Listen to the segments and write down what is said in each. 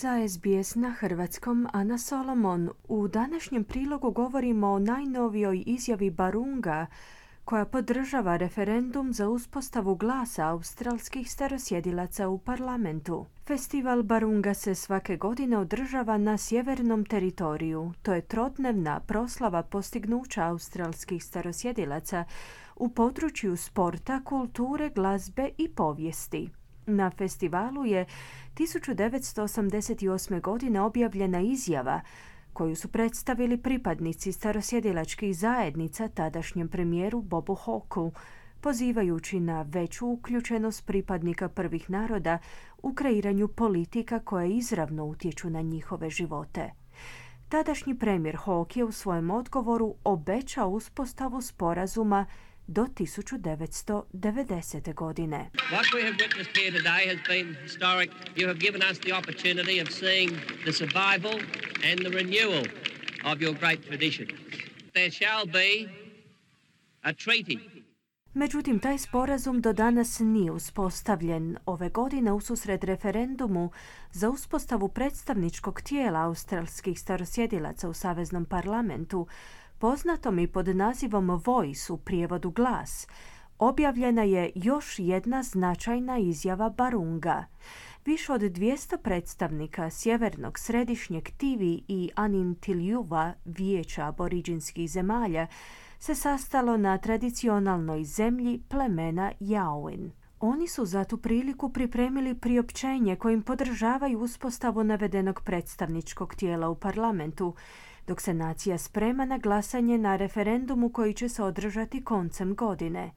Za SBS na hrvatskom Ana Solomon. U današnjem prilogu govorimo o najnovijoj izjavi Barunga koja podržava referendum za uspostavu glasa australskih starosjedilaca u parlamentu. Festival Barunga se svake godine održava na sjevernom teritoriju. To je trodnevna proslava postignuća australskih starosjedilaca u području sporta, kulture, glazbe i povijesti. Na festivalu je 1988. godine objavljena izjava koju su predstavili pripadnici starosjedilačkih zajednica tadašnjem premijeru Bobu Hawkeu, pozivajući na veću uključenost pripadnika prvih naroda u kreiranju politika koje izravno utječu na njihove živote. Tadašnji premijer Hawke je u svojem odgovoru obećao uspostavu sporazuma do 1990. godine. What we have witnessed here today has been historic. You have given us the opportunity of seeing the survival and the renewal of your great traditions. There shall be a treaty. Međutim, taj sporazum do danas nije uspostavljen. Ove godine ususret referendumu za uspostavu predstavničkog tijela australskih starosjedilaca u Saveznom parlamentu, poznatom i pod nazivom Voice u prijevodu glas, objavljena je još jedna značajna izjava Barunga. Više od 200 predstavnika sjevernog, središnjeg Tivi i Anintiljuva vijeća aboriđinskih zemalja se sastalo na tradicionalnoj zemlji plemena Yawin. Oni su za tu priliku pripremili priopćenje kojim podržavaju uspostavu navedenog predstavničkog tijela u parlamentu, dok se nacija sprema na glasanje na referendumu koji će se održati koncem godine.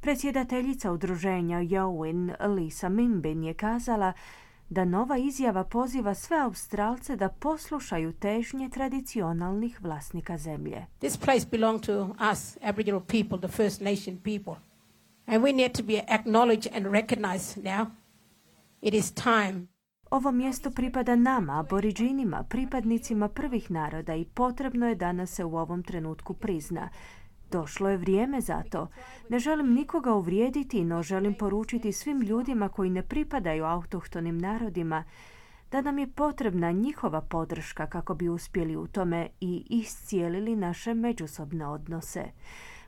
Predsjedateljica udruženja Yawin, Lisa Mimbin, je kazala da nova izjava poziva sve Australce da poslušaju težnje tradicionalnih vlasnika zemlje. This place belongs to us, Aboriginal people, the First Nation people. And we need to be acknowledged and recognized now. It is time. Ovo mjesto pripada nama, aboriđinima, pripadnicima prvih naroda i potrebno je da nas se u ovom trenutku prizna. Došlo je vrijeme za to. Ne želim nikoga uvrijediti, no želim poručiti svim ljudima koji ne pripadaju autohtonim narodima da nam je potrebna njihova podrška kako bi uspjeli u tome i iscijelili naše međusobne odnose.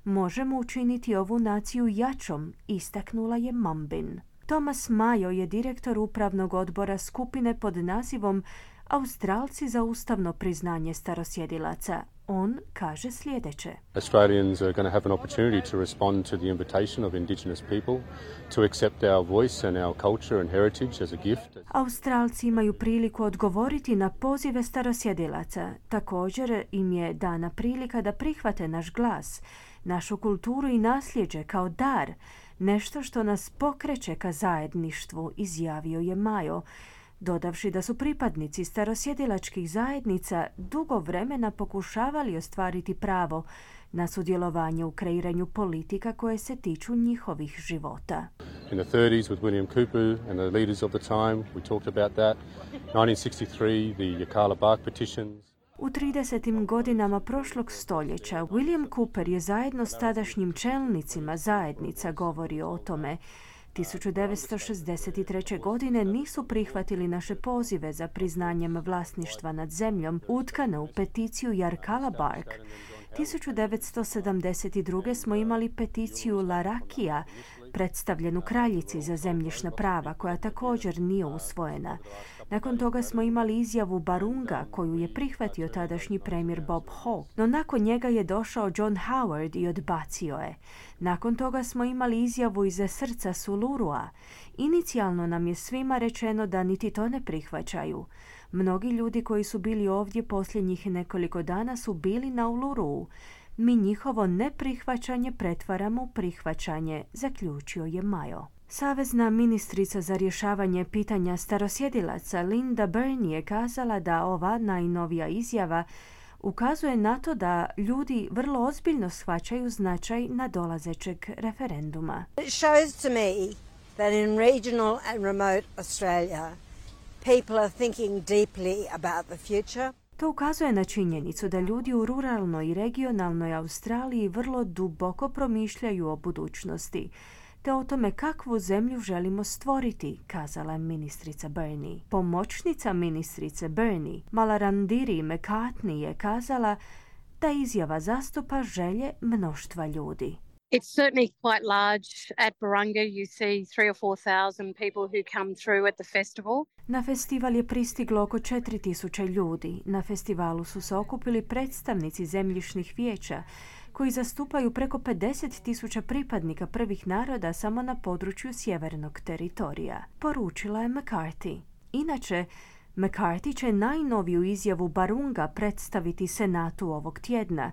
Možemo učiniti ovu naciju jačom, istaknula je Mambin. Thomas Mayo je direktor upravnog odbora skupine pod nazivom Australci za ustavno priznanje starosjedilaca. On kaže sljedeće. Australians are going to have an opportunity to respond to the invitation of Indigenous people to accept our voice and our culture and heritage as a gift. Australci imaju priliku odgovoriti na pozive starosjedilaca. Također im je dana prilika da prihvate naš glas, našu kulturu i nasljeđe kao dar, nešto što nas pokreće ka zajedništvu, izjavio je Mayo, dodavši da su pripadnici starosjedilačkih zajednica dugo vremena pokušavali ostvariti pravo na sudjelovanje u kreiranju politika koje se tiču njihovih života. In the 30s with William Cooper and the leaders of the time, we talked about that. 1963, the Yirrkala Bark petitions. U 30. godinama prošlog stoljeća William Cooper je zajedno s tadašnjim čelnicima zajednica govorio o tome. 1963. godine nisu prihvatili naše pozive za priznanjem vlasništva nad zemljom utkane u peticiju Yirrkala Bark. 1972. smo imali peticiju Larrakia, predstavljenu kraljici za zemljišna prava, koja također nije usvojena. Nakon toga smo imali izjavu Barunga, koju je prihvatio tadašnji premijer Bob Hawke, no nakon njega je došao John Howard i odbacio je. Nakon toga smo imali izjavu iza srca Sulurua. Inicijalno nam je svima rečeno da niti to ne prihvaćaju. Mnogi ljudi koji su bili ovdje posljednjih nekoliko dana su bili na Uluru. Mi njihovo neprihvaćanje pretvaramo u prihvaćanje, zaključio je Mayo. Savezna ministrica za rješavanje pitanja starosjedilaca Linda Byrne je kazala da ova najnovija izjava ukazuje na to da ljudi vrlo ozbiljno shvaćaju značaj nadolazećeg referenduma. It shows to me that in regional and remote Australia people are thinking deeply about the future. To ukazuje na činjenicu da ljudi u ruralnoj i regionalnoj Australiji vrlo duboko promišljaju o budućnosti. te o tome kakvu zemlju želimo stvoriti, kazala je ministrica Burney. Pomoćnica ministrice Burney, Malarandiri McCartney, je kazala da izjava zastupa želje mnoštva ljudi. It's certainly quite large. At Barunga, you see 3,000 or 4,000 people who come through at the festival. Na festival je pristiglo oko 4.000 ljudi. Na festivalu su se okupili predstavnici zemljišnih vijeća koji zastupaju preko 50.000 pripadnika prvih naroda samo na području sjevernog teritorija, poručila je McCarthy. Inače, McCarthy će najnoviju izjavu Barunga predstaviti Senatu ovog tjedna,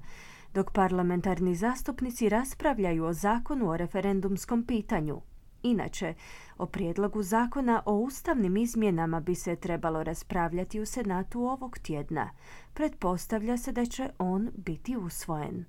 dok parlamentarni zastupnici raspravljaju o zakonu o referendumskom pitanju. Inače, o prijedlogu zakona o ustavnim izmjenama bi se trebalo raspravljati u Senatu ovog tjedna. Pretpostavlja se da će on biti usvojen.